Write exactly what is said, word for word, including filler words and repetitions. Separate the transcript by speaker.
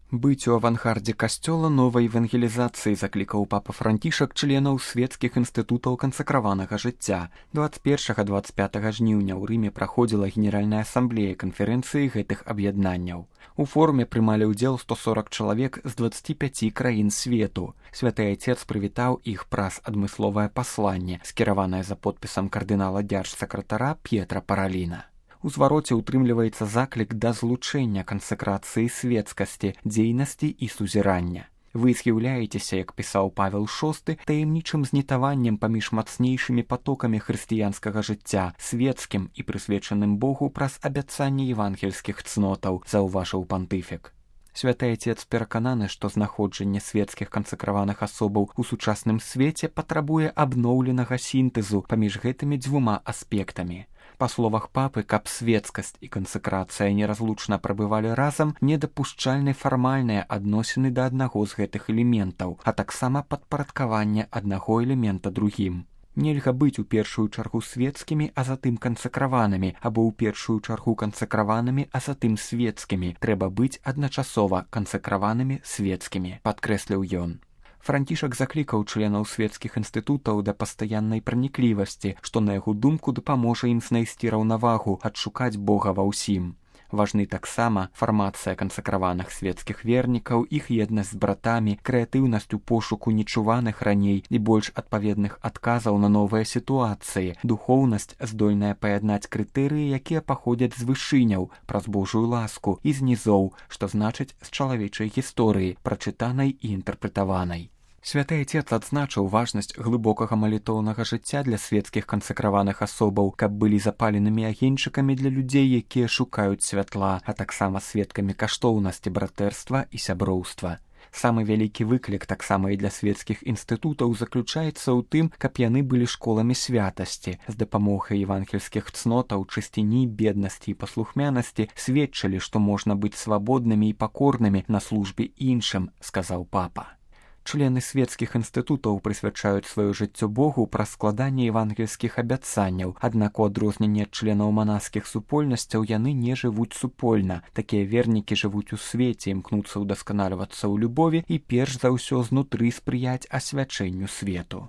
Speaker 1: Быць у авангардзе касцёла новай евангелізацыі заклікаў папа Францішак членаў свецкіх інстытутаў кансакраванага жыцця. дваццаць першага - дваццаць пятага жніўня ў Рыме праходзіла генеральная асамблея канферэнцыі гэтых аб'яднанняў. У форуме прымалі ўдзел сто сорак чалавек з дваццаці пяці краін свету. Святы Айцец прывітаў іх праз адмысловае пасланне, скіраванае за подпісам кардынала дзяржсакратара П'етра Параліна. У звароце ўтрымліваецца заклік да злучэння кансакрацыі свецкасці, дзейнасці і сузірання. Вы з'яўляецеся, як пісаў Павел шосты, таямнічым знітаваннем паміж мацнейшымі патокамі хрысціянскага жыцця, свецкім і прысвечаным Богу праз абяцанне евангельскіх цнотаў, заўважыў пантыфік. Святы Айцец перакананы, што знаходжанне свецкіх кансакраваных асобаў у сучасным свеце патрабуе абноўленага сінтэзу паміж гэтымі дзвюма аспектамі. Па словах папы, каб свецкасць і кансакрацыя неразлучна прабывалі разам, недапушчальны фармальныя адносіны да аднаго з гэтых элементаў, а таксама падпарадкаванне аднаго элемента другім. Нельга быць у першую чаргу свецкімі, а затым кансакраванымі, або ў першую чаргу кансакраванымі, а затым свецкімі. Трэба быць адначасова кансакраванымі свецкімі, падкрэсліў ён. Францішак заклікаў членаў свецкіх інстытутаў да пастаяннай праніклівасці, што, на яго думку, дапаможа ім знайсці раўнавагу, адшукаць Бога ва ўсім. Важны таксама фармацыя кансакраваных свецкіх вернікаў, іх еднасць з братамі, крэатыўнасць у пошуку нечуваных раней і больш адпаведных адказаў на новыя сітуацыі, духоўнасць, здольная паяднаць крытэрыі, якія паходзяць з вышыняў, праз Божую ласку, і з нізоў, што значыць з чалавечай гісторыі, прачытанай і інтэрпрэтаванай. Святы Айцец адзначыў важнасць глыбокага малітоўнага жыцця для свецкіх кансакраваных асобаў, каб былі запаленымі агеньчыкамі для людзей, якія шукаюць святла, а таксама сведкамі каштоўнасці братэрства і сяброўства. Самы вялікі выклік таксама і для свецкіх інстытутаў заключаецца ў тым, каб яны былі школамі святасці, з дапамогай евангельскіх цнотаў, чысціні, беднасці і паслухмянасці сведчылі, што можна быць свабоднымі і пакорнымі на службе іншым, сказаў папа. Члены свецкіх інстытутаў прысвячаюць сваё жыццё Богу праз складанне евангельскіх абяцанняў, аднак у адрозненне ад членаў манаскіх супольнасцяў яны не жывуць супольна. Такія вернікі жывуць у свеце, імкнуцца ўдасканальвацца ў любові і перш за ўсё знутры спрыяць асвячэнню свету.